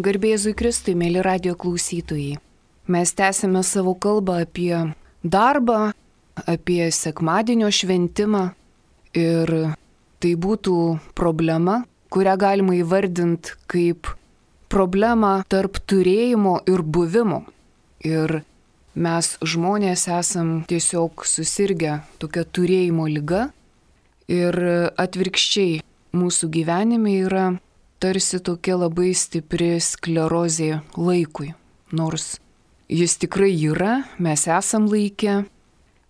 Garbėzui Kristui, mėly radio klausytojai. Mes tęsime savo kalbą apie darbą, apie sekmadienio šventimą ir tai būtų problema, kurią galima įvardinti kaip problemą tarp turėjimo ir buvimo. Ir mes žmonės esam tiesiog susirgę tokia turėjimo liga ir atvirkščiai mūsų gyvenime yra tarsi tokia labai stipri sklerozė laikui. Nors jis tikrai yra, mes esam laike,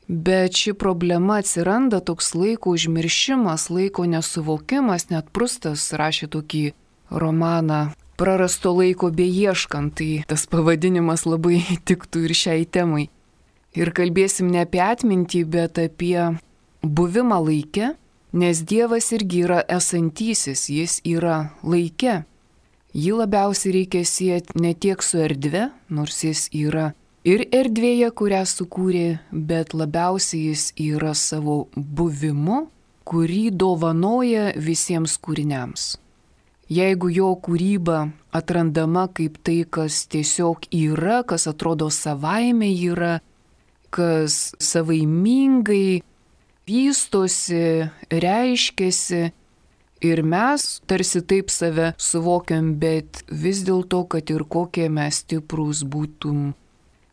bet ši problema atsiranda toks laiko užmiršimas, laiko nesuvokimas, net Prustas rašė tokį romaną Prarasto laiko beieškant, tai tas pavadinimas labai tiktų ir šiai temai. Ir kalbėsim ne apie atmintį, bet apie buvimą laike. Nes Dievas irgi yra esantysis, jis yra laike. Jį labiausiai reikia sieti ne tiek su erdve, nors jis yra ir erdvėje, kurią sukūrė, bet labiausiai jis yra savo buvimu, kurį dovanoja visiems kūriniams. Jeigu jo kūryba atrandama kaip tai, kas tiesiog yra, kas atrodo savaime yra, kas savaimingai vystosi, reiškiasi ir mes tarsi taip save suvokiam, bet vis dėlto, kad ir kokie mes stiprūs būtum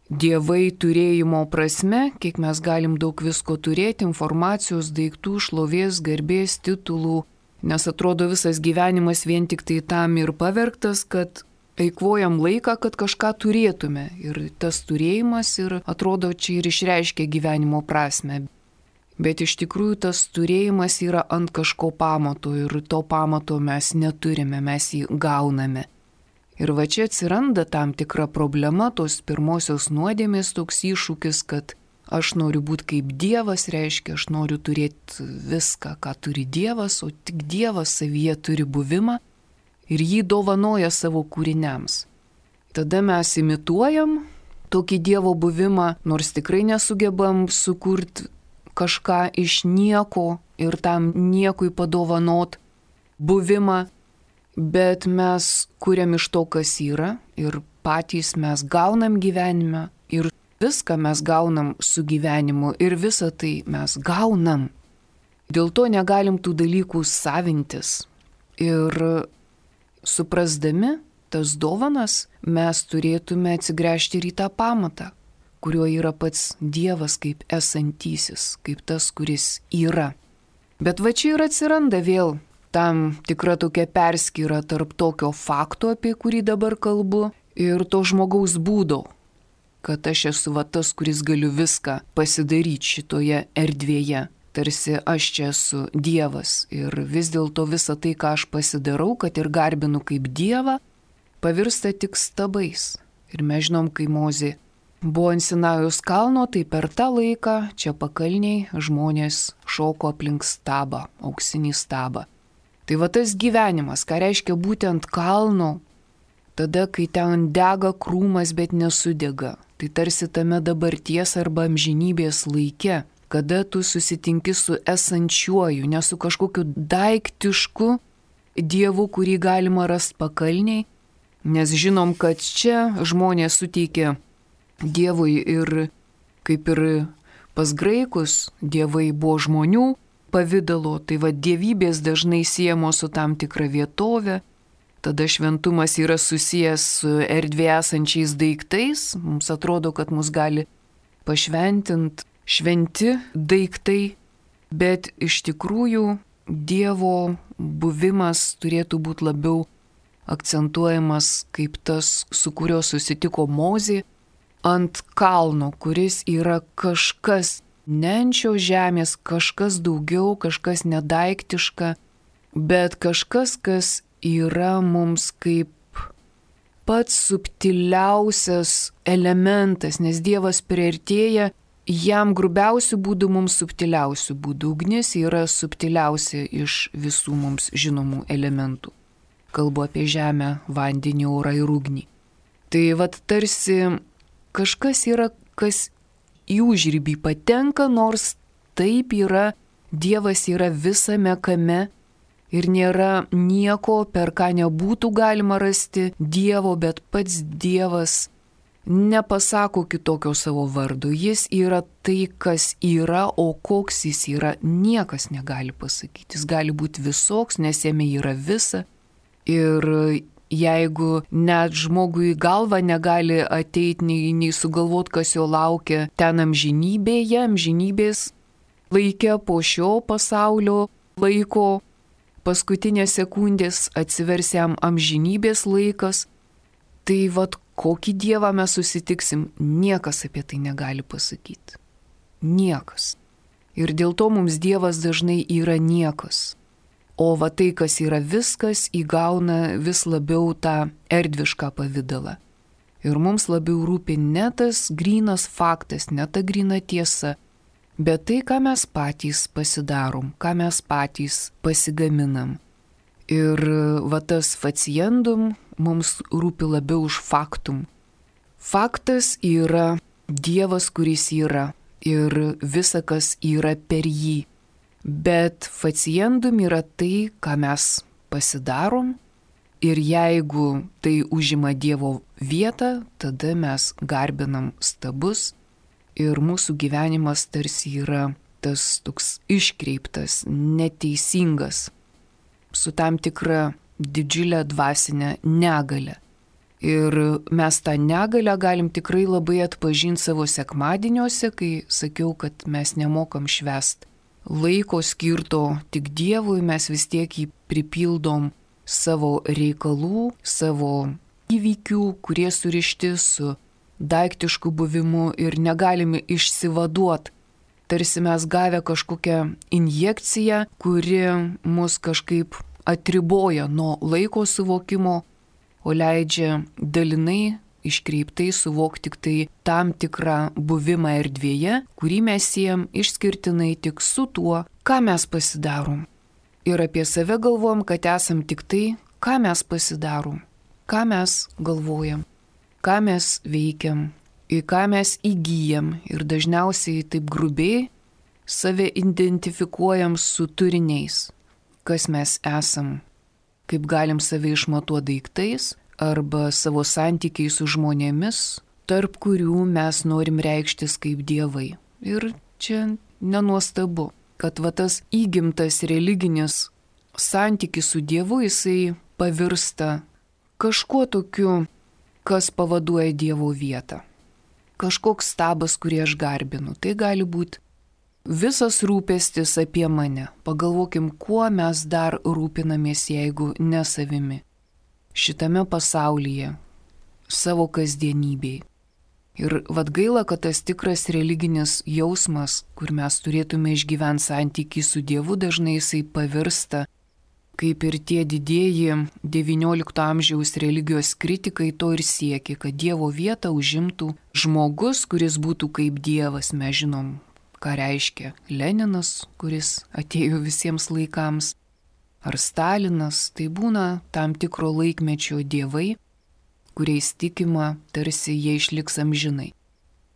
dievai turėjimo prasme, kiek mes galim daug visko turėti, informacijos, daiktų, šlovės, garbės, titulų, nes atrodo visas gyvenimas vien tik tai tam ir pavergtas, kad eikvojam laiką, kad kažką turėtume. Ir tas turėjimas ir atrodo čia ir išreiškia gyvenimo prasme. Bet iš tikrųjų tas turėjimas yra ant kažko pamato ir to pamato mes neturime, mes jį gauname. Ir va čia atsiranda tam tikra problema, tos pirmosios nuodėmės toks iššūkis, kad aš noriu būti kaip Dievas, reiškia, aš noriu turėti viską, ką turi Dievas, o tik Dievas savyje turi buvimą ir jį dovanoja savo kūriniams. Tada mes imituojam tokį Dievo buvimą, nors tikrai nesugebam sukurti kažką iš nieko ir tam niekui padovanot buvimą, bet mes kuriam iš to, kas yra ir patys mes gaunam gyvenimą ir viską mes gaunam su gyvenimu ir visą tai mes gaunam. Dėl to negalim tų dalykų savintis. Ir suprasdami tas dovanas mes turėtume atsigręžti ir į tą pamatą, kuriuo yra pats Dievas kaip esantysis, kaip tas, kuris yra. Bet va čia ir atsiranda vėl tam tikra tokia perskyra tarp tokio fakto, apie kurį dabar kalbu, ir to žmogaus būdo, kad aš esu va tas, kuris galiu viską pasidaryti šitoje erdvėje. Tarsi aš čia esu Dievas ir vis dėlto visą tai, ką aš pasidarau, kad ir garbinu kaip Dievą, pavirsta tik stabais. Ir mes žinom, kai Mozė buvo ant Sinajaus kalno, tai per tą laiką čia pakalniai žmonės šoko aplink stabą, auksinį stabą. Tai va tas gyvenimas, ką reiškia būti ant kalno, tada, kai ten dega krūmas, bet nesudega. Tai tarsi tame dabarties arba amžinybės laike, kada tu susitinki su esančiuoju, ne su kažkokiu daiktišku Dievu, kurį galima rasti pakalniai, nes žinom, kad čia žmonės suteikia Dievui ir kaip ir pas graikus dievai buvo žmonių pavidalo, tai va dievybės dažnai siejamos su tam tikra vietovė, tada šventumas yra susijęs su erdvėje esančiais daiktais, mums atrodo, kad mus gali pašventinti šventi daiktai, bet iš tikrųjų Dievo buvimas turėtų būti labiau akcentuojamas kaip tas, su kuriuo susitiko Mozė, ant kalno, kuris yra kažkas ne ant šios žemės, kažkas daugiau, kažkas nedaiktiška, bet kažkas, kas yra mums kaip pats subtiliausias elementas, nes Dievas priartėja jam grubiausių būdų, mums subtiliausių būdų. Ugnis yra subtiliausia iš visų mums žinomų elementų. Kalbu apie žemę, vandenį, orą ir ugnį. Tai vat tarsi kažkas yra, kas į užribį patenka, nors taip yra, Dievas yra visame kame Ir nėra nieko, per ką nebūtų galima rasti Dievo, bet pats Dievas nepasako kitokio savo vardo. Jis yra tai, kas yra, o koks jis yra, niekas negali pasakyti. Jis gali būti visoks, nes jame yra visa. Ir jeigu net žmogui į galvą negali ateiti, nei sugalvoti, kas jo laukia ten amžinybėje, amžinybės laike po šio pasaulio laiko, paskutinės sekundės atsivers jam amžinybės laikas, tai vat kokį Dievą mes susitiksim, niekas apie tai negali pasakyti. Niekas. Ir dėl to mums Dievas dažnai yra niekas. O va tai, kas yra viskas, įgauna vis labiau tą erdvišką pavidalą. Ir mums labiau rūpi ne tas grynas faktas, ne ta gryna tiesa, bet tai, ką mes patys pasidarom, ką mes patys pasigaminam. Ir va tas faciendum mums rūpi labiau už faktum. Faktas yra Dievas, kuris yra, ir visa, kas yra per jį. Bet faciendum yra tai, ką mes pasidarom, ir jeigu tai užima Dievo vietą, tada mes garbinam stabus ir mūsų gyvenimas tarsi yra tas toks iškreiptas, neteisingas, su tam tikra didžiulė dvasinė negalė. Ir mes tą negalę galim tikrai labai atpažinti savo sekmadieniuose, kai sakiau, kad mes nemokam švęst laiko skirto tik Dievui, mes vis tiek jį pripildom savo reikalų, savo įvykių, kurie surišti su daiktišku buvimu ir negalime išsivaduoti. Tarsi mes gavę kažkokią injekciją, kuri mus kažkaip atriboja nuo laiko suvokimo, o leidžia dalinai iškreiptai suvokti tik tai tam tikrą buvimą erdvėje, kurį mes siejam išskirtinai tik su tuo, ką mes pasidarom. Ir apie save galvojam, kad esam tik tai, ką mes pasidarom, ką mes galvojam, ką mes veikiam, į ką mes įgyjam ir dažniausiai taip grubiai save identifikuojam su turiniais, kas mes esam, kaip galim save išmatuoti daiktais arba savo santykiai su žmonėmis, tarp kurių mes norim reikštis kaip dievai. Ir čia nenuostabu, kad va tas įgimtas religinis santykis su Dievu jisai pavirsta kažkuo tokiu, kas pavaduoja Dievo vietą. Kažkoks stabas, kurį aš garbinu. Tai gali būti visas rūpestis apie mane. Pagalvokim, kuo mes dar rūpinamės, jeigu ne savimi. Šitame pasaulyje, savo kasdienybėj. Ir vad gaila, kad tas tikras religinis jausmas, kur mes turėtume išgyventi santykį su Dievu, dažnai jisai pavirsta, kaip ir tie didieji XIX amžiaus religijos kritikai to ir siekė, kad Dievo vietą užimtų žmogus, kuris būtų kaip Dievas. Mes žinom, ką reiškia Leninas, kuris atėjo visiems laikams, ar Stalinas. Tai būna tam tikro laikmečio dievai, kuriais tikima, tarsi jie išliks amžinai.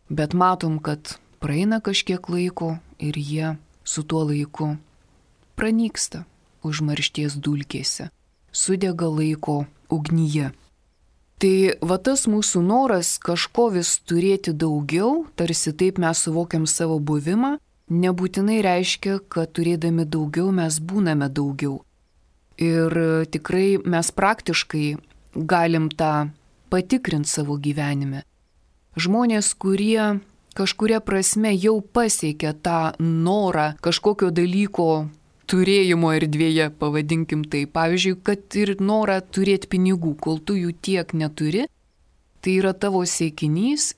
Bet matom, kad praeina kažkiek laiko ir jie su tuo laiku pranyksta užmaršties dulkėse, sudega laiko ugnyje. Tai va tas mūsų noras kažko vis turėti daugiau, tarsi taip mes suvokiam savo buvimą, nebūtinai reiškia, kad turėdami daugiau mes būname daugiau. Ir tikrai mes praktiškai galim tą patikrinti savo gyvenime. Žmonės, kurie kažkuria prasme jau pasiekia tą norą kažkokio dalyko turėjimo erdvėje, pavadinkim tai. Pavyzdžiui, kad ir norą turėti pinigų, kol tu jų tiek neturi, tai yra tavo siekinys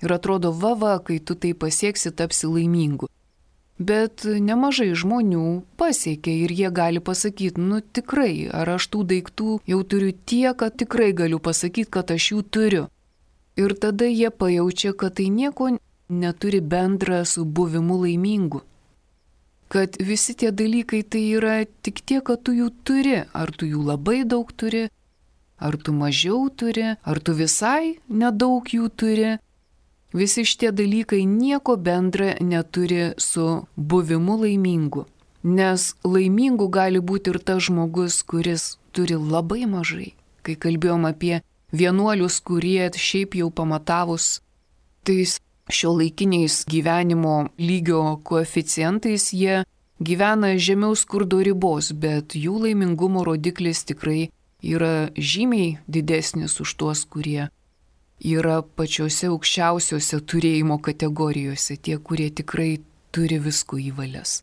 ir atrodo, va, kai tu tai pasieksi, tapsi laimingu. Bet nemažai žmonių pasiekia ir jie gali pasakyti, nu tikrai, ar aš tų daiktų jau turiu tiek, kad tikrai galiu pasakyti, kad aš jų turiu. Ir tada jie pajaučia, kad tai nieko neturi bendra su buvimu laimingu. Kad visi tie dalykai tai yra tik tiek, kad tu jų turi. Ar tu jų labai daug turi, ar tu mažiau turi, ar tu visai nedaug jų turi. Visi šitie dalykai nieko bendra neturi su buvimu laimingu. Nes laimingu gali būti ir tas žmogus, kuris turi labai mažai. Kai kalbėjom apie vienuolius, kurie šiaip jau pamatavus tais šiuolaikiniais gyvenimo lygio koeficientais, jie gyvena žemiau skurdo ribos, bet jų laimingumo rodiklis tikrai yra žymiai didesnis už tuos, kurie yra pačiose aukščiausiose turėjimo kategorijose, tie, kurie tikrai turi visko į valias.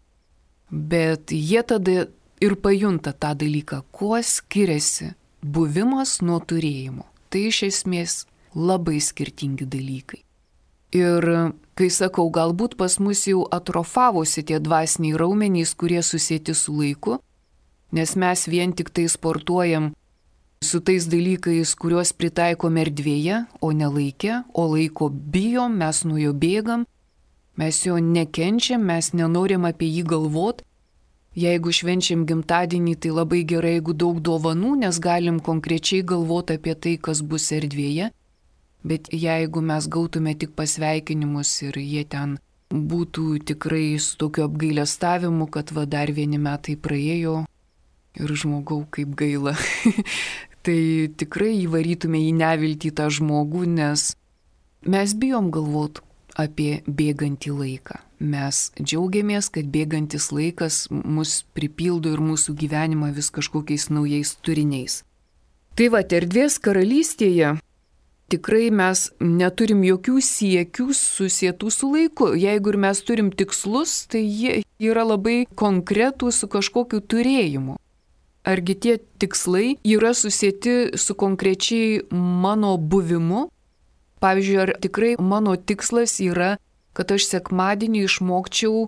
Bet jie tada ir pajunta tą dalyką, kuo skiriasi buvimas nuo turėjimo. Tai iš esmės labai skirtingi dalykai. Ir kai sakau, galbūt pas mus jau atrofavosi tie dvasiniai raumenys, kurie susieti su laiku, nes mes vien tik tai sportuojam su tais dalykais, kuriuos pritaikom erdvėje, o ne laike, o laiko bijom, mes nuo jo bėgam, mes jo nekenčiam, mes nenorim apie jį galvot. Jeigu švenčiam gimtadienį, tai labai gerai, jeigu daug dovanų, nes galim konkrečiai galvoti apie tai, kas bus erdvėje. Bet jeigu mes gautume tik pasveikinimus ir jie ten būtų tikrai su tokiu apgailestavimu, kad va dar vieni metai praėjo ir žmogau kaip gaila, tai tikrai įvarytume į neviltį tą žmogų, nes mes bijom galvoti apie bėgantį laiką. Mes džiaugiamės, kad bėgantis laikas mus pripildo ir mūsų gyvenimą vis kažkokiais naujais turiniais. Tai va, erdvės karalystėje tikrai mes neturim jokių siekių susietų su laiku. Jeigu ir mes turim tikslus, tai jie yra labai konkretūs su kažkokiu turėjimu. Argi tie tikslai yra susieti su konkrečiai mano buvimu? Pavyzdžiui, ar tikrai mano tikslas yra, kad aš sekmadienį išmokčiau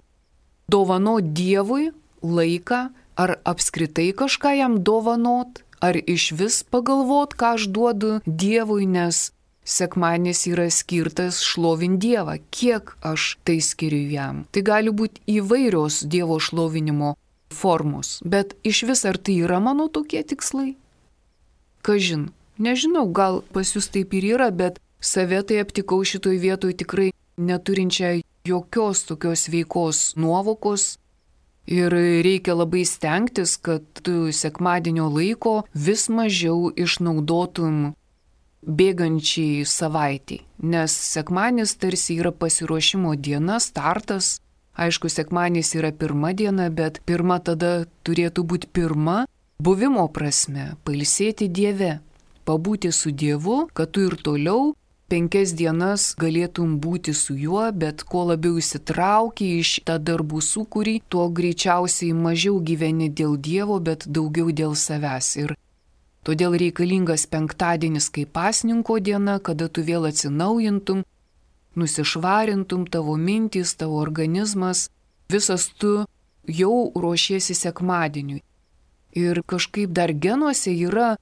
dovanot Dievui laiką, ar apskritai kažką jam dovanot, ar iš vis pagalvot, ką aš duodu Dievui, nes sekmadienis yra skirtas šlovint Dievą, kiek aš tai skiriu jam. Tai gali būti įvairios Dievo šlovinimo formos, bet iš vis ar tai yra mano tokie tikslai? Kažin, nežinau, gal pas jūs taip ir yra, bet save tai aptikau šitoj vietoj tikrai neturinčią jokios tokios veikos nuovokos ir reikia labai stengtis, kad tu sekmadienio laiko vis mažiau išnaudotum bėgančiai savaitei, nes sekmadienis tarsi yra pasiruošimo diena, startas. Aišku, sekmadienis yra pirma diena, bet pirma tada turėtų būti pirma buvimo prasme, pailsėti Dieve, pabūti su Dievu, kad tu ir toliau 5 dienas galėtum būti su juo, bet kuo labiau įsitrauki iš tą darbų sūkurį, tuo greičiausiai mažiau gyveni dėl Dievo, bet daugiau dėl savęs. Ir todėl reikalingas penktadienis kaip pasninko diena, kada tu vėl atsinaujintum, nusišvarintum tavo mintys, tavo organizmas, visas tu jau ruošiesi sekmadieniui. Ir kažkaip dar genuose yra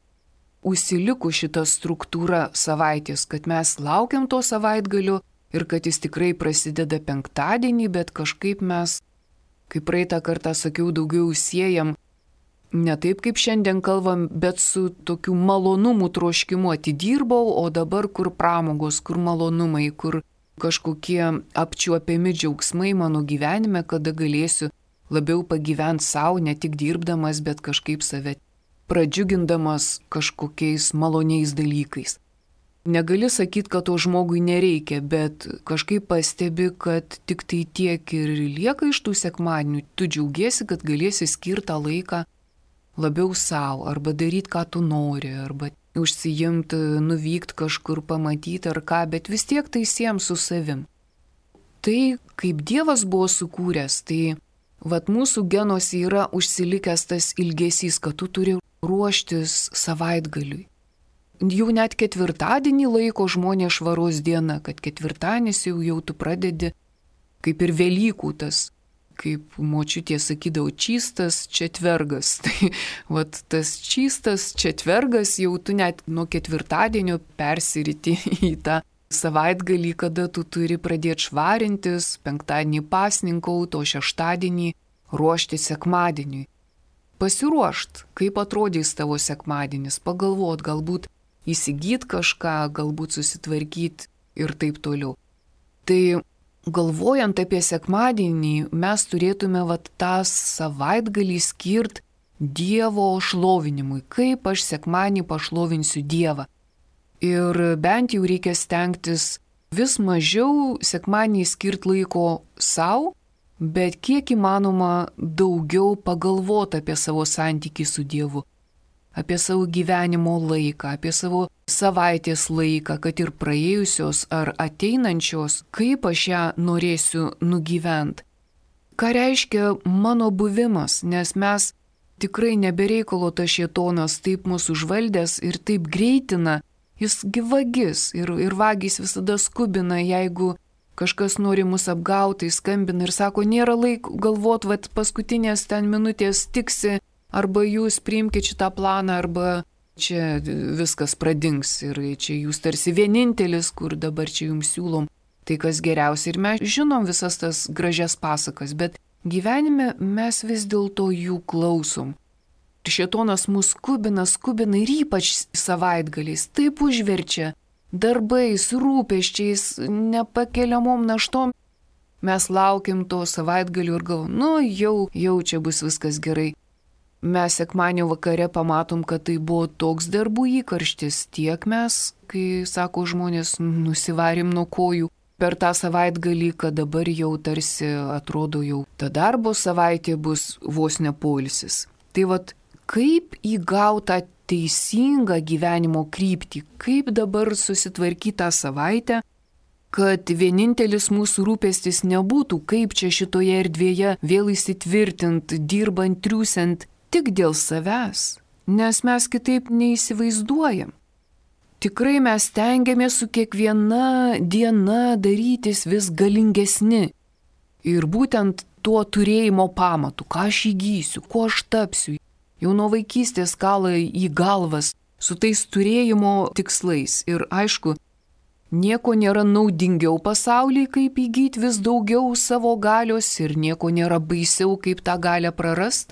užsiliku šitą struktūrą savaitės, kad mes laukiam to savaitgalio ir kad jis tikrai prasideda penktadienį, bet kažkaip mes, kaip praeitą kartą sakiau, daugiau siejam ne taip, kaip šiandien kalbam, bet su tokiu malonumų troškimu atidirbau, o dabar kur pramogos, kur malonumai, kur kažkokie apčiuopiami džiaugsmai mano gyvenime, kada galėsiu labiau pagyventi savo, ne tik dirbdamas, bet kažkaip save pradžiugindamas kažkokiais maloniais dalykais. Negali sakyti, kad to žmogui nereikia, bet kažkaip pastebi, kad tik tai tiek ir lieka iš tų sekmadienių. Tu džiaugiesi, kad galėsi skirtą laiką labiau savo, arba daryti, ką tu nori, arba užsijimti, nuvykti kažkur, pamatyti ar ką, bet vis tiek tai siem su savim. Tai, kaip Dievas buvo sukūręs, tai vat mūsų genuose yra užsilikęs tas ilgesys, kad tu turi ruoštis savaitgaliui. Jau net ketvirtadienį laiko žmonės švaros diena, kad ketvirtadienis jau tu pradedi kaip ir Velykų tas, kaip močiutė sakydavo, čystas četvergas. Tai vat tas čystas četvergas jau tu net nuo ketvirtadienio persiriti į tą savaitgalį, kada tu turi pradėti švarintis, penktadienį pasninkauti, o šeštadienį ruošti sekmadieniui. Pasiruošt, kaip atrodys tavo sekmadienis, pagalvot, galbūt įsigyt kažką, galbūt susitvarkyti ir taip toliau. Tai galvojant apie sekmadienį, mes turėtume tą savaitgalį skirti Dievo šlovinimui, kaip aš sekmadienį pašlovinsiu Dievą. Ir bent jau reikia stengtis vis mažiau sekmadienį skirti laiko savo, bet kiek įmanoma daugiau pagalvoti apie savo santykį su Dievu, apie savo gyvenimo laiką, apie savo savaitės laiką, kad ir praėjusios ar ateinančios, kaip aš ją norėsiu nugyventi. Ką reiškia mano buvimas, nes mes tikrai nebereikalo tas šėtonas taip mūsų užvaldęs ir taip greitina, jis vagis ir vagys visada skubina, jeigu kažkas nori mus apgauti, skambina ir sako, nėra laiko galvot, paskutinės ten minutės tiksi, arba jūs priimkite šitą planą, arba čia viskas pradings ir čia jūs tarsi vienintelis, kur dabar čia jums siūlom tai, kas geriausia. Ir mes žinom visas tas gražias pasakas, bet gyvenime mes vis dėlto jų klausom. Ir šėtonas mus skubina ir ypač savaitgaliais taip užverčia darbais, rūpesčiais, nepakeliamom naštom. Mes laukiam to savaitgalių ir galvom, jau čia bus viskas gerai. Mes sekmadienio vakare pamatom, kad tai buvo toks darbų įkarštis, tiek mes, kai, sako žmonės, nusivarėm nuo kojų per tą savaitgalį, kad dabar jau tarsi atrodo jau ta darbo savaitė bus vos ne poilsis. Tai kaip įgauti tą teisingą gyvenimo kryptį, kaip dabar susitvarkyti tą savaitę, kad vienintelis mūsų rūpestis nebūtų, kaip čia šitoje erdvėje vėl įsitvirtint, dirbant, triūsiant, tik dėl savęs, nes mes kitaip neįsivaizduojam. Tikrai mes stengiamės su kiekviena diena darytis vis galingesni. Ir būtent tuo turėjimo pamatu, ką aš įgysiu, kuo aš tapsiu. Jau nuo vaikystės kala į galvas su tais turėjimo tikslais. Ir aišku, nieko nėra naudingiau pasaulyje, kaip įgyti vis daugiau savo galios ir nieko nėra baisiau, kaip tą galią prarast.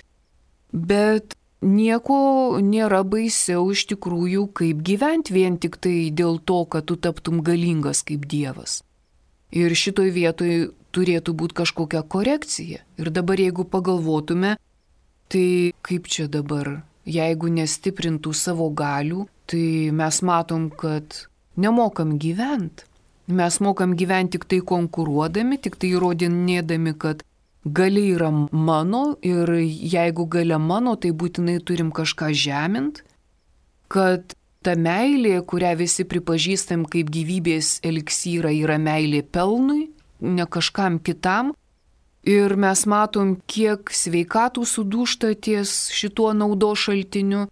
Bet nieko nėra baisiau iš tikrųjų, kaip gyventi vien tik tai dėl to, kad tu taptum galingas kaip Dievas. Ir šitoj vietoj turėtų būti kažkokia korekcija. Ir dabar jeigu pagalvotume, tai kaip čia dabar, jeigu nestiprintų savo galių, tai mes matom, kad nemokam gyventi. Mes mokam gyventi tik tai konkuruodami, tik tai įrodinėdami, kad galia yra mano ir jeigu galia mano, tai būtinai turim kažką žemint, kad ta meilė, kurią visi pripažįstam kaip gyvybės eliksyrą, yra meilė pelnui, ne kažkam kitam. Ir mes matom, kiek sveikatų sudūžta ties šituo naudos šaltiniu,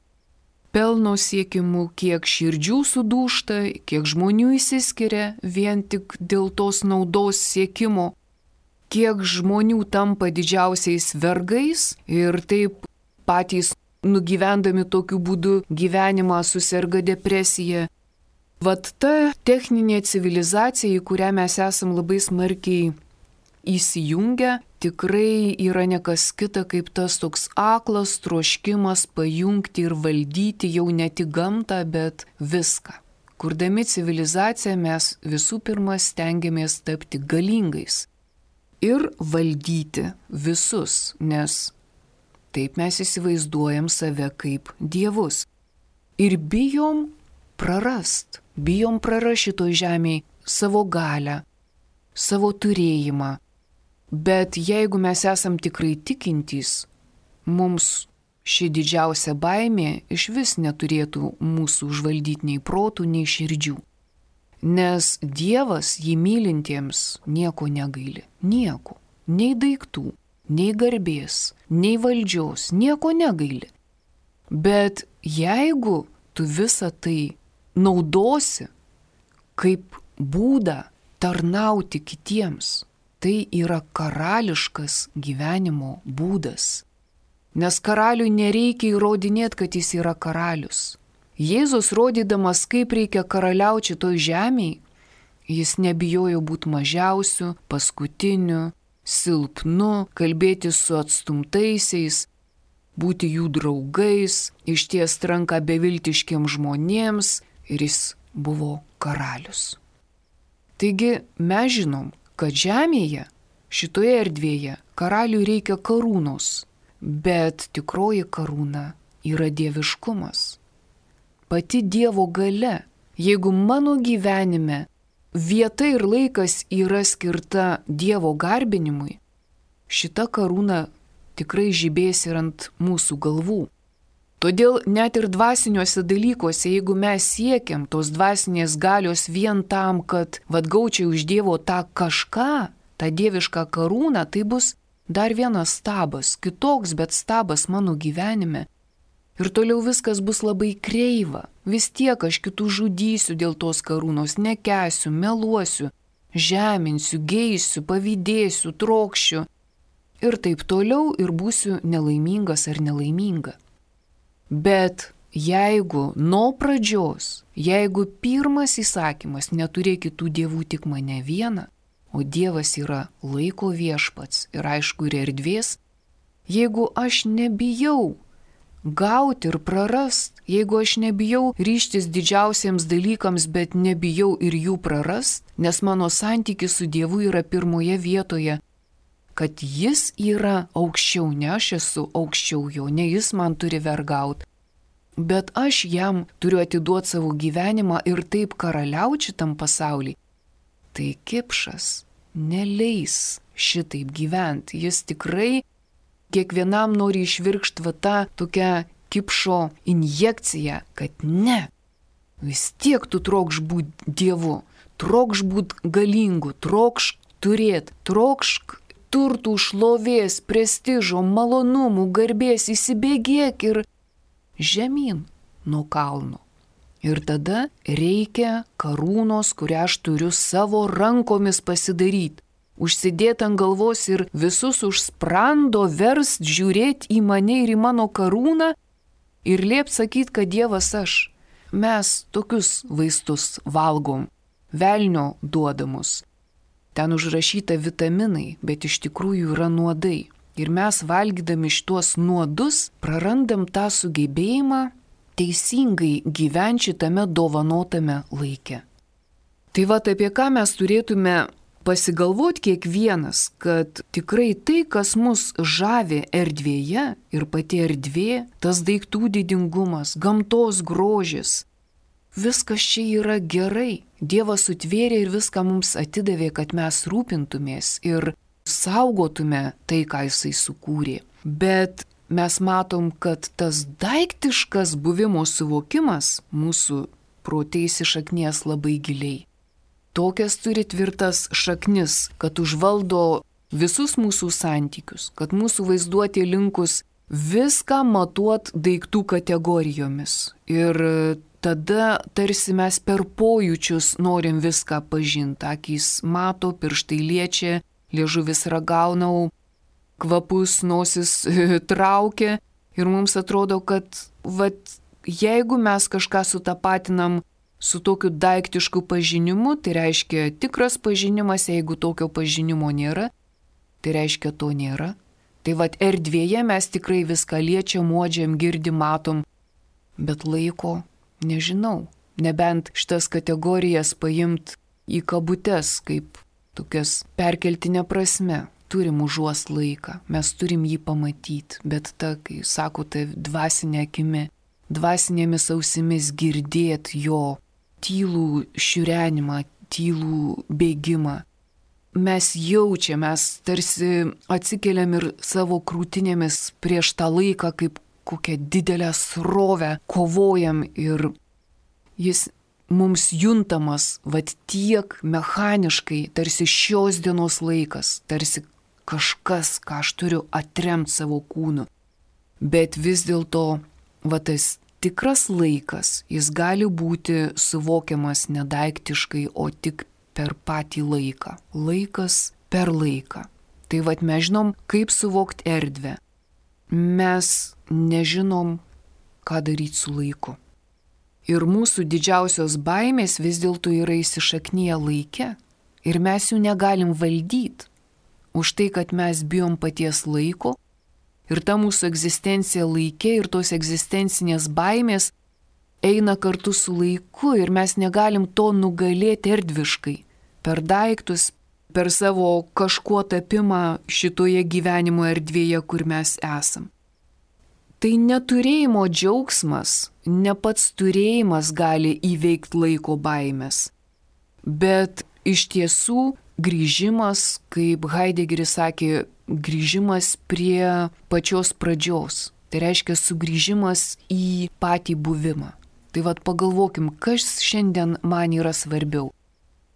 pelno siekimu, kiek širdžių sudūžta, kiek žmonių įsiskiria vien tik dėl tos naudos siekimo, kiek žmonių tampa didžiausiais vergais ir taip patys nugyvendami tokiu būdu gyvenimą suserga depresija. Ta techninė civilizacija, į kurią mes esam labai smarkiai įsijungę, tikrai yra nekas kita kaip tas toks aklas troškimas pajungti ir valdyti jau ne tik gamtą, bet viską. Kurdami civilizaciją mes visų pirma stengiamės tapti galingais ir valdyti visus, nes taip mes įsivaizduojam save kaip dievus. Ir bijom prarast šitoj žemėje savo galią, savo turėjimą. Bet jeigu mes esam tikrai tikintys, mums ši didžiausia baimė iš vis neturėtų mūsų užvaldyti nei protų, nei širdžių. Nes Dievas jį mylintiems nieko negaili. Nieko. Nei daiktų, nei garbės, nei valdžios, nieko negaili. Bet jeigu tu visą tai naudosi kaip būdą tarnauti kitiems, tai yra karališkas gyvenimo būdas. Nes karaliui nereikia įrodinėti, kad jis yra karalius. Jėzus rodydamas, kaip reikia karaliauti šitoj žemėje, jis nebijojo būti mažiausiu, paskutiniu, silpnu, kalbėti su atstumtaisiais, būti jų draugais, ištiesti ranką beviltiškiems žmonėms ir jis buvo karalius. Taigi mes žinom, kad žemėje, šitoje erdvėje, karaliui reikia karūnos, bet tikroji karūna yra dieviškumas. Pati Dievo galia, jeigu mano gyvenime vieta ir laikas yra skirta Dievo garbinimui, šita karūna tikrai žibės ir ant mūsų galvų. Todėl net ir dvasiniuose dalykuose, jeigu mes siekiam tos dvasinės galios vien tam, kad gaučiau iš Dievo tą kažką, tą dievišką karūną, tai bus dar vienas stabas, kitoks, bet stabas mano gyvenime. Ir toliau viskas bus labai kreiva. Vis tiek aš kitų žudysiu dėl tos karūnos, nekęsiu, meluosiu, žeminsiu, geisiu, pavydėsiu, trokšiu. Ir taip toliau ir būsiu nelaimingas ar nelaiminga. Bet jeigu nuo pradžios, jeigu pirmas įsakymas neturėk kitų dievų tik mane vieną, o Dievas yra laiko viešpats ir aišku ir erdvės, jeigu aš nebijau gauti ir prarast, jeigu aš nebijau ryžtis didžiausiems dalykams, bet nebijau ir jų prarast, nes mano santykis su Dievu yra pirmoje vietoje, kad jis yra aukščiau, ne aš esu aukščiau jo, ne jis man turi vergauti, bet aš jam turiu atiduoti savo gyvenimą ir taip karaliauti šitam pasauliui. Tai kipšas neleis šitaip gyventi, jis tikrai kiekvienam nori išvirkšti tą tokią kipšo injekciją, kad ne, vis tiek tu trokš būti Dievu, trokš būti galingu, trokš turėti, trokšk turtų, šlovės, prestižo, malonumų, garbės, įsibėgėk ir žemyn nuo kalno. Ir tada reikia karūnos, kurią aš turiu savo rankomis pasidaryti. Užsidėti ant galvos ir visus už sprando verst žiūrėti į mane ir į mano karūną ir liept sakyti, kad Dievas aš. Mes tokius vaistus valgom, velnio duodamus. Ten užrašyta vitaminai, bet iš tikrųjų yra nuodai. Ir mes valgydami šitos nuodus prarandam tą sugebėjimą teisingai gyventi šitame dovanotame laike. Tai va, apie ką mes turėtume pasigalvoti kiekvienas, kad tikrai tai, kas mus žavi erdvėje ir pati erdvė, tas daiktų didingumas, gamtos grožis, viskas čia yra gerai. Dievas sutvėrė ir viską mums atidavė, kad mes rūpintumės ir saugotume tai, ką jisai sukūrė. Bet mes matom, kad tas daiktiškas buvimo suvokimas mūsų prote įsišaknės labai giliai. Tokias turi tvirtas šaknis, kad užvaldo visus mūsų santykius, kad mūsų vaizduotė linkus viską matuot daiktų kategorijomis. Ir tada tarsi mes per pojūčius norim viską pažinti. Akys mato, pirštai liečia, liežuvis ragaunau, kvapus nosis traukia ir mums atrodo, kad jeigu mes kažką sutapatinam su tokiu daiktišku pažinimu, tai reiškia tikras pažinimas, jeigu tokio pažinimo nėra, tai reiškia to nėra. Tai erdvėje mes tikrai viską liečiam, uodžiam, girdim, matom, bet laiko nežinau, nebent šitas kategorijas paimt į kabutes, kaip tokias perkeltinė prasme. Turim užuost laiką, mes turim jį pamatyti, bet kai sakote dvasinė akimi, dvasinėmis ausimis girdėt jo tylų šiurenimą, tylų bėgimą. Mes jaučiam, mes tarsi atsikeliam ir savo krūtinėmis prieš tą laiką kaip kokią didelę srovę kovojam ir jis mums juntamas tiek mechaniškai, tarsi šios dienos laikas, tarsi kažkas, ką aš turiu atremti savo kūnu. Bet vis dėlto tas tikras laikas, jis gali būti suvokiamas nedaiktiškai, o tik per patį laiką. Laikas per laiką. Tai mes žinom, kaip suvokti erdvę. Mes nežinom, ką daryti su laiku. Ir mūsų didžiausios baimės vis dėlto yra įsišaknyje laike. Ir mes jų negalim valdyti. Už tai, kad mes bijom paties laiko. Ir ta mūsų egzistencija laike ir tos egzistencinės baimės eina kartu su laiku. Ir mes negalim to nugalėti erdviškai. Per daiktus, per savo kažkuo tapimą šitoje gyvenimo erdvėje, kur mes esam. Tai neturėjimo džiaugsmas, ne pats turėjimas gali įveikti laiko baimės, bet iš tiesų grįžimas, kaip Heideggeris sakė, grįžimas prie pačios pradžios. Tai reiškia sugrįžimas į patį buvimą. Tai vat pagalvokim, kas šiandien man yra svarbiau.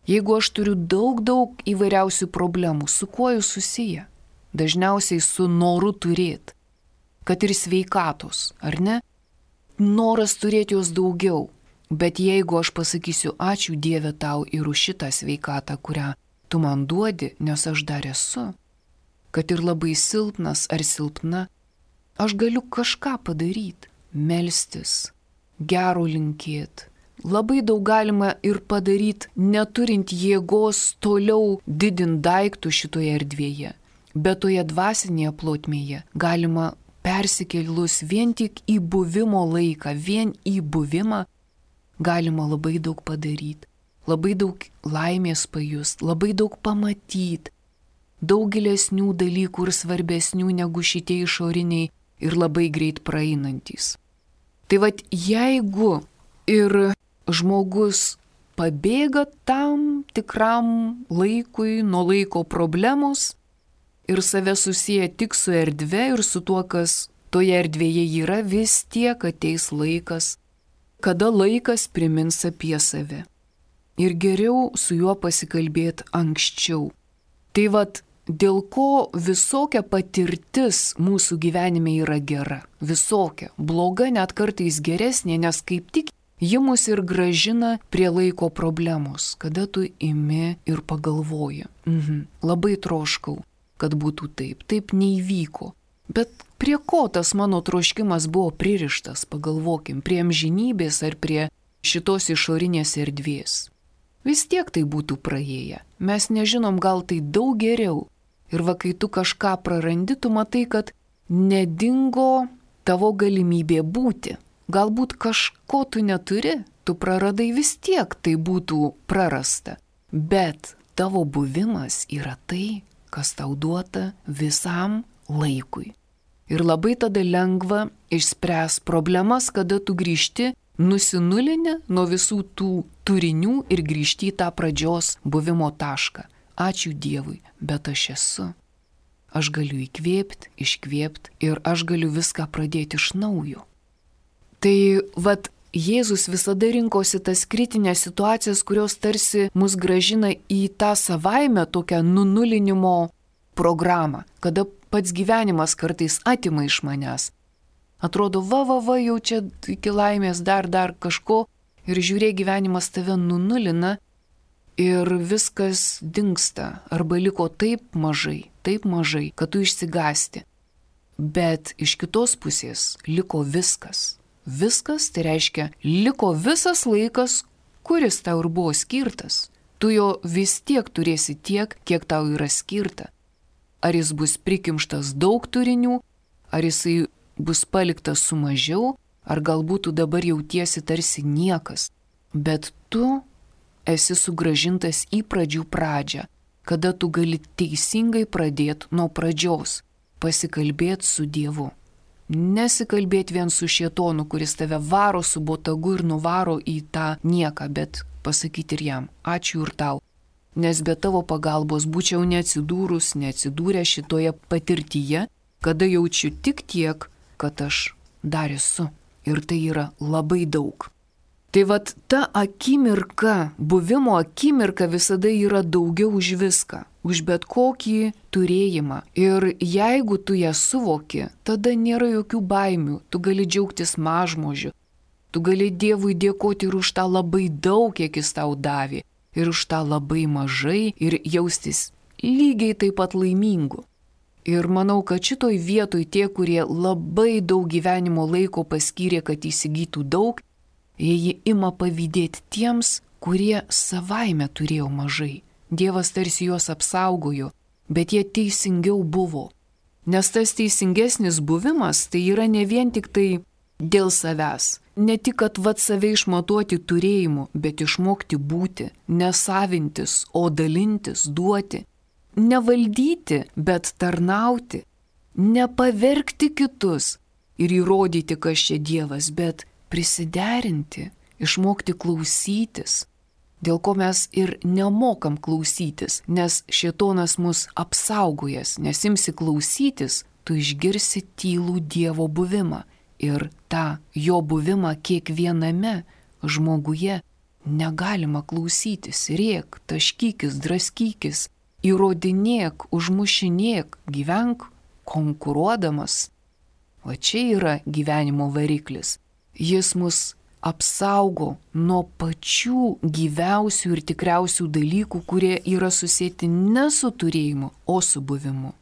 Jeigu aš turiu daug įvairiausių problemų, su kuo jūs susiję? Dažniausiai su noru turėti. Kad ir sveikatos, ar ne? Noras turėti jos daugiau. Bet jeigu aš pasakysiu ačiū Dieve tau ir už šitą sveikatą, kurią tu man duodi, nes aš dar esu, kad ir labai silpnas ar silpna, aš galiu kažką padaryti, melstis, gero linkėti. Labai daug galima ir padaryti, neturint jėgos toliau didinti daiktų šitoje erdvėje. Bet toje dvasinėje plotmėje galima persikėlus vien tik į buvimo laiką, vien į buvimą, galima labai daug padaryti, labai daug laimės pajust, labai daug pamatyti, daug gilesnių dalykų ir svarbesnių negu šitie išoriniai ir labai greit praeinantys. Tai vat jeigu ir žmogus pabėga tam tikram laikui nuo laiko problemos ir save susiję tik su erdve ir su tuo, kas toje erdvėje yra, vis tiek ateis laikas, kada laikas primins apie save. Ir geriau su juo pasikalbėti anksčiau. Tai vat dėl ko visokia patirtis mūsų gyvenime yra gera. Visokia. Bloga net kartais geresnė, nes kaip tik ji mus ir gražina prie laiko problemos, kada tu imi ir pagalvoji. Labai troškau, kad būtų taip. Taip neįvyko. Bet prie ko tas mano troškimas buvo pririštas, pagalvokim, prie amžinybės ar prie šitos išorinės erdvės. Vis tiek tai būtų praėję. Mes nežinom, gal tai daug geriau. Ir va, kai tu kažką prarandi, tu matai, kad nedingo tavo galimybė būti. Galbūt kažko tu neturi, tu praradai, vis tiek tai būtų prarasta. Bet tavo buvimas yra tai, kas tau duota visam laikui. Ir labai tada lengva išspręs problemas, kada tu grįžti nusinulinę nuo visų tų turinių ir grįžti į tą pradžios buvimo tašką. Ačiū Dievui, bet aš esu. Aš galiu įkvėpti, iškvėpti ir aš galiu viską pradėti iš naujo. Tai vat Jėzus visada rinkosi tas kritinės situacijas, kurios tarsi mus gražina į tą savaime tokią nunulinimo programą, kada pats gyvenimas kartais atima iš manęs. Atrodo, jau čia iki laimės dar kažko ir žiūrėk, gyvenimas tave nunulina ir viskas dingsta arba liko taip mažai, kad tu išsigąsti. Bet iš kitos pusės liko viskas. Viskas tai reiškia, liko visas laikas, kuris tau ir buvo skirtas. Tu jo vis tiek turėsi tiek, kiek tau yra skirta. Ar jis bus prikimštas daug turinių, ar jisai bus paliktas su mažiau, ar galbūt tu dabar jautiesi tarsi niekas. Bet tu esi sugrąžintas į pradžių pradžią, kada tu gali teisingai pradėti nuo pradžios, pasikalbėti su Dievu. Nesikalbėti vien su šėtonu, kuris tave varo su botagu ir nuvaro į tą nieką, bet pasakyti ir jam, ačiū ir tau, nes be tavo pagalbos būčiau neatsidūrę šitoje patirtyje, kada jaučiu tik tiek, kad aš dar esu. Ir tai yra labai daug. Tai vat ta akimirka, buvimo akimirka visada yra daugiau už viską, už bet kokį turėjimą. Ir jeigu tu ją suvoki, tada nėra jokių baimių, tu gali džiaugtis mažmožiu, tu gali Dievui dėkoti ir už tą labai daug, kiek jis tau davė, ir už tą labai mažai, ir jaustis lygiai taip pat laimingu. Ir manau, kad šitoj vietoj tie, kurie labai daug gyvenimo laiko paskyrė, kad įsigytų daug, jie ima pavydėti tiems, kurie savaime turėjo mažai. Dievas tarsi juos apsaugojo, bet jie teisingiau buvo. Nes tas teisingesnis buvimas tai yra ne vien tik tai dėl savęs, ne tik, kad save išmatuoti turėjimu, bet išmokti būti, nesavintis, o dalintis, duoti, nevaldyti, bet tarnauti, nepavergti kitus ir įrodyti, kas čia Dievas, bet prisiderinti, išmokti klausytis, dėl ko mes ir nemokam klausytis, nes šėtonas mus apsaugojęs, nes imsi klausytis, tu išgirsi tylų Dievo buvimą ir tą jo buvimą kiekviename žmoguje negalima klausytis, rėk, taškykis, draskykis, įrodinėk, užmušinėk, gyvenk konkuruodamas. O čia yra gyvenimo variklis. Jis mus apsaugo nuo pačių gyviausių ir tikriausių dalykų, kurie yra susėti ne su turėjimu, o su buvimu.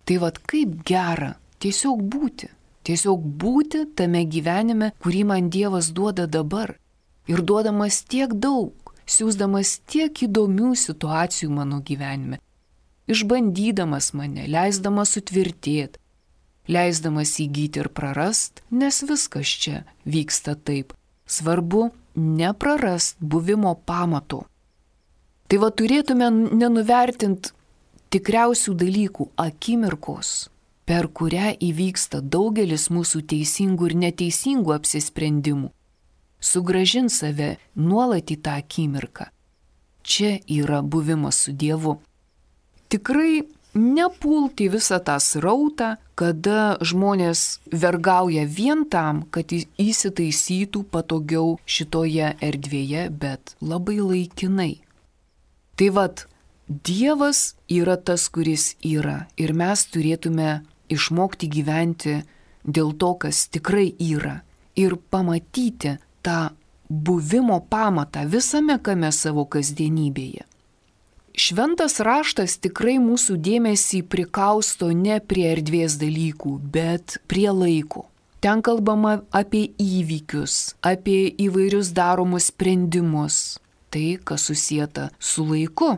Tai kaip gera tiesiog būti. Tiesiog būti tame gyvenime, kurį man Dievas duoda dabar. Ir duodamas tiek daug, siūsdamas tiek įdomių situacijų mano gyvenime. Išbandydamas mane, leisdamas sutvirtėti, leisdamas įgyti ir prarast, nes viskas čia vyksta taip. Svarbu neprarast buvimo pamato. Tai turėtume nenuvertinti tikriausių dalykų akimirkos, per kurią įvyksta daugelis mūsų teisingų ir neteisingų apsisprendimų. Sugrąžint save nuolat į tą akimirką. Čia yra buvimas su Dievu. Tikrai nepulti visą tą srautą, kada žmonės vergauja vien tam, kad įsitaisytų patogiau šitoje erdvėje, bet labai laikinai. Tai Dievas yra tas, kuris yra, ir mes turėtume išmokti gyventi dėl to, kas tikrai yra, ir pamatyti tą buvimo pamatą visame kame savo kasdienybėje. Šventas raštas tikrai mūsų dėmesį prikausto ne prie erdvės dalykų, bet prie laiko. Ten kalbama apie įvykius, apie įvairius daromus sprendimus, tai, kas susieta su laiku.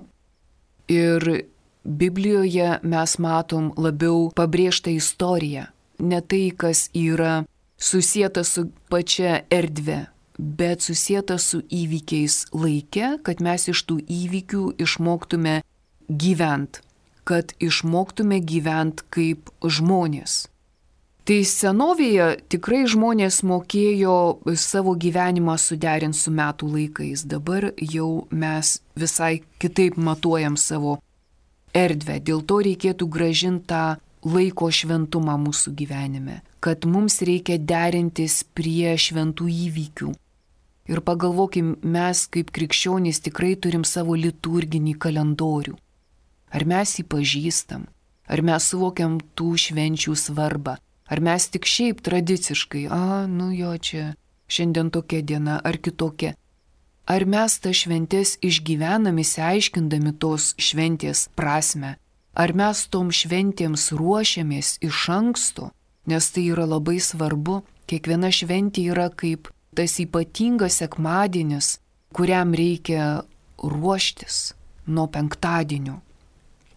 Ir Biblijoje mes matom labiau pabrėžtą istoriją, ne tai, kas yra susieta su pačia erdve, bet susieta su įvykiais laike, kad mes iš tų įvykių išmoktume gyventi, kad išmoktume gyventi kaip žmonės. Tai senovėje tikrai žmonės mokėjo savo gyvenimą suderinti su metų laikais. Dabar jau mes visai kitaip matuojam savo erdvę. Dėl to reikėtų grąžinti tą laiko šventumą mūsų gyvenime, kad mums reikia derintis prie šventų įvykių. Ir pagalvokim, mes kaip krikščionys tikrai turim savo liturginį kalendorių. Ar mes jį pažįstam? Ar mes suvokiam tų švenčių svarbą? Ar mes tik šiaip tradiciškai, čia šiandien tokia diena ar kitokia. Ar mes tą šventės išgyvenam įsiaiškindami tos šventės prasme? Ar mes tom šventėms ruošiamės iš anksto? Nes tai yra labai svarbu. Kiekviena šventė yra kaip tas ypatingas sekmadienis, kuriam reikia ruoštis nuo penktadienio.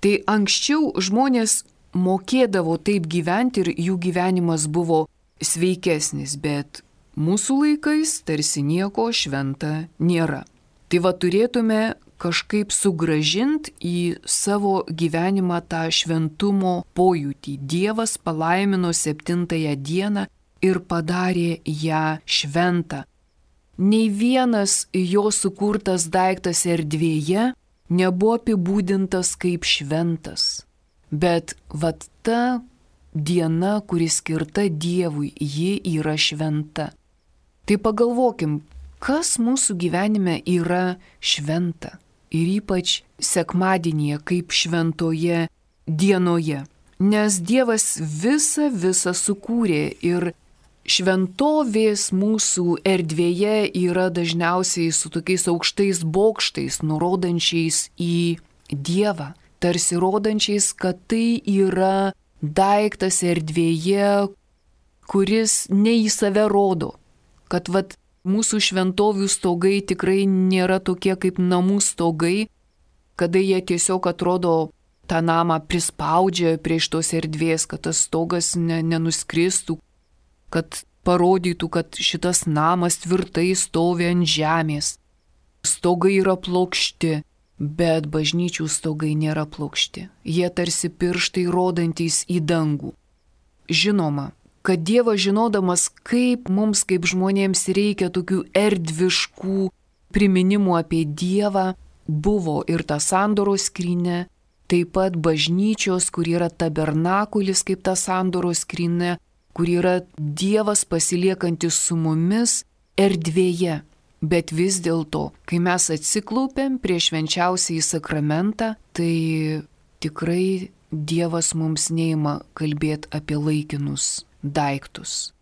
Tai anksčiau žmonės mokėdavo taip gyventi ir jų gyvenimas buvo sveikesnis, bet mūsų laikais tarsi nieko šventa nėra. Tai turėtume kažkaip sugrąžinti į savo gyvenimą tą šventumo pojūtį. Dievas palaimino 7 dieną ir padarė ją šventą. Nei vienas jo sukurtas daiktas erdvėje nebuvo apibūdintas kaip šventas. Bet ta diena, kuri skirta Dievui, ji yra šventa. Tai pagalvokim, kas mūsų gyvenime yra šventa. Ir ypač sekmadienyje kaip šventoje dienoje. Nes Dievas visą sukūrė ir šventovės mūsų erdvėje yra dažniausiai su tokiais aukštais bokštais, nurodančiais į Dievą. Tarsi rodančiais, kad tai yra daiktas erdvėje, kuris ne į save rodo. Kad mūsų šventovių stogai tikrai nėra tokie kaip namų stogai, kada jie tiesiog atrodo tą namą prispaudžia prie šitos erdvės, kad tas stogas nenuskristų, kad parodytų, kad šitas namas tvirtai stovi ant žemės. Stogai yra plokšti, bet bažnyčių stogai nėra plokšti. Jie tarsi pirštai rodantys į dangų. Žinoma, kad Dievas žinodamas, kaip mums kaip žmonėms reikia tokių erdviškų priminimų apie Dievą, buvo ir ta sandoros skrynia, taip pat bažnyčios, kur yra tabernakulis kaip ta sandoros skrynia, kur yra Dievas pasiliekantis su mumis erdvėje. Bet vis dėlto, kai mes atsiklaupėm prieš švenčiausiąjį sakramentą, tai tikrai Dievas mums neima kalbėti apie laikinus daiktus.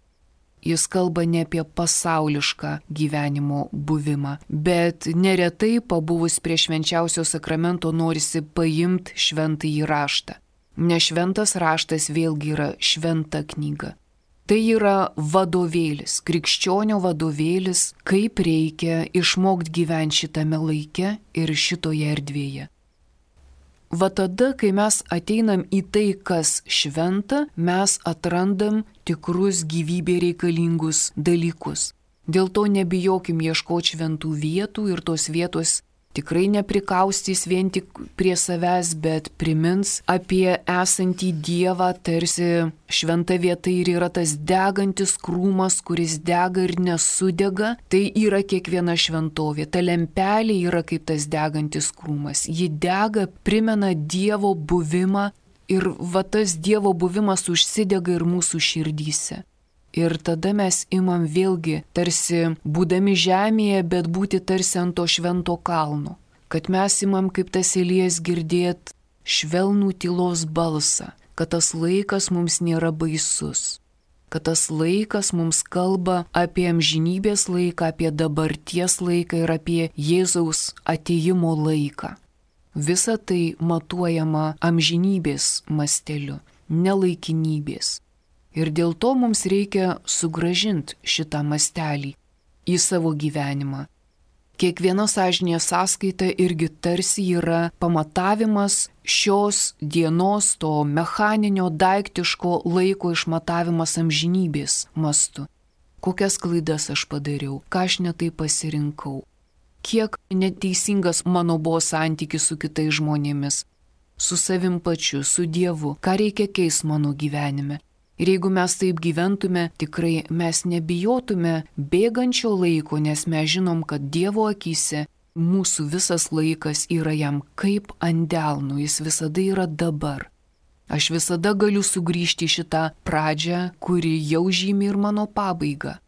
Jis kalba ne apie pasaulišką gyvenimo buvimą, bet neretai pabuvus prie švenčiausio sakramento norisi paimti šventąjį raštą. Nes šventas raštas vėlgi yra šventa knyga. Tai yra vadovėlis, krikščionio vadovėlis, kaip reikia išmokti gyventi šitame laike ir šitoje erdvėje. Va tada, kai mes ateinam į tai, kas šventa, mes atrandam tikrus gyvybė reikalingus dalykus. Dėl to nebijokim ieškoti šventų vietų ir tos vietos tikrai neprikaustys vien tik prie savęs, bet primins apie esantį Dievą, tarsi šventa vieta ir yra tas degantis krūmas, kuris dega ir nesudega, tai yra kiekviena šventovė. Ta lempelė yra kaip tas degantis krūmas. Ji dega, primena Dievo buvimą ir va tas Dievo buvimas užsidega ir mūsų širdyse. Ir tada mes imam vėlgi, tarsi būdami žemėje, bet būti tarsi ant to švento kalno. Kad mes imam kaip tas Elijas girdėt švelnų tylos balsą, kad tas laikas mums nėra baisus. Kad tas laikas mums kalba apie amžinybės laiką, apie dabarties laiką ir apie Jėzaus atėjimo laiką. Visa tai matuojama amžinybės masteliu, nelaikinybės. Ir dėl to mums reikia sugrąžinti šitą mastelį į savo gyvenimą. Kiekviena sąžinės sąskaita irgi tarsi yra pamatavimas šios dienos, to mechaninio, daiktiško laiko išmatavimas amžinybės mastu. Kokias klaidas aš padariau, ką aš netai pasirinkau, kiek neteisingas mano buvo santykis su kitais žmonėmis, su savim pačiu, su Dievu, ką reikia keisti mano gyvenime. Ir jeigu mes taip gyventume, tikrai mes nebijotume bėgančio laiko, nes mes žinom, kad Dievo akyse mūsų visas laikas yra jam kaip ant delno, jis visada yra dabar. Aš visada galiu sugrįžti į šitą pradžią, kuri jau žymi ir mano pabaigą.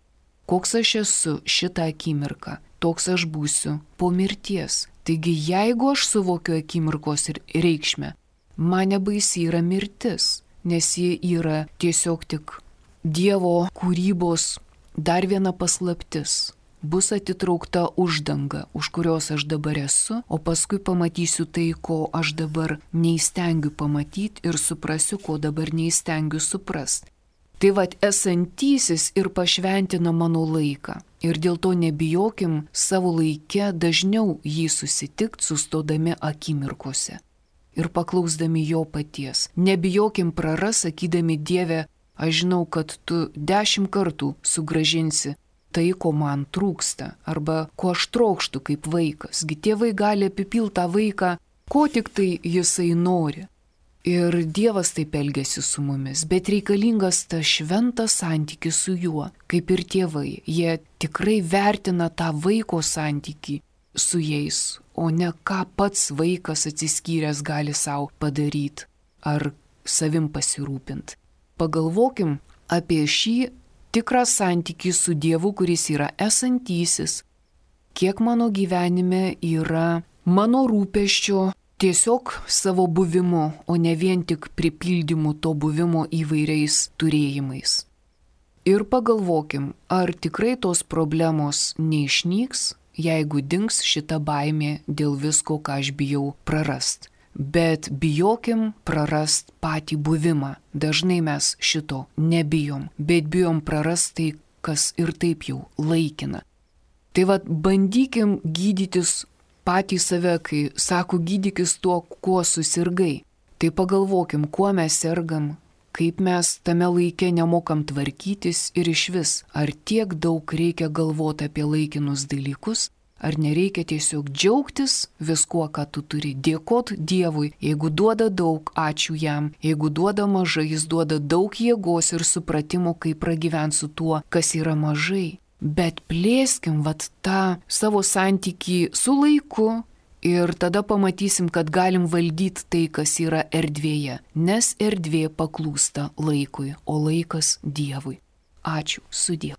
Koks aš esu šitą akimirką, toks aš būsiu po mirties. Taigi jeigu aš suvokiu akimirkos ir reikšmę, man nebaisi yra mirtis. Nes ji yra tiesiog tik Dievo kūrybos dar viena paslaptis. Bus atitraukta uždanga, už kurios aš dabar esu, o paskui pamatysiu tai, ko aš dabar neįstengiu pamatyti ir suprasiu, ko dabar neįstengiu suprasti. Tai vat esantysis ir pašventina mano laiką. Ir dėl to nebijokim savo laike dažniau jį susitikti, sustodami akimirkose. Ir paklausdami jo paties. Nebijokim praras, sakydami Dieve, aš žinau, kad tu 10 kartų sugrąžinsi tai, ko man trūksta, arba ko aš trokštu kaip vaikas. Gi tėvai gali apipilti tą vaiką, ko tik tai jisai nori. Ir Dievas taip elgiasi su mumis, bet reikalingas tas šventas santykis su juo, kaip ir tėvai. Jie tikrai vertina tą vaiko santykį su jais, o ne ką pats vaikas atsiskyręs gali savo padaryti ar savim pasirūpinti. Pagalvokim apie šį tikrą santykį su Dievu, kuris yra esantysis, kiek mano gyvenime yra mano rūpesčio tiesiog savo buvimu, o ne vien tik pripildymu to buvimo įvairiais turėjimais. Ir pagalvokim, ar tikrai tos problemos neišnyks, jeigu dings šita baimė dėl visko, ką aš bijau prarast. Bet bijokim prarast patį buvimą. Dažnai mes šito nebijom, bet bijom prarast tai, kas ir taip jau laikina. Tai vat bandykim gydytis patį save, kai sako gydykis tuo, kuo susirgai. Tai pagalvokim, kuo mes sergam, kaip mes tame laike nemokam tvarkytis ir išvis, ar tiek daug reikia galvoti apie laikinus dalykus, ar nereikia tiesiog džiaugtis viskuo, ką tu turi, dėkot Dievui, jeigu duoda daug, ačiū jam, jeigu duoda mažai, jis duoda daug jėgos ir supratimo, kaip pragyventi su tuo, kas yra mažai. Bet plėskim tą savo santykį su laiku ir tada pamatysim, kad galim valdyti tai, kas yra erdvėje, nes erdvė paklūsta laikui, o laikas Dievui. Ačiū, sudie.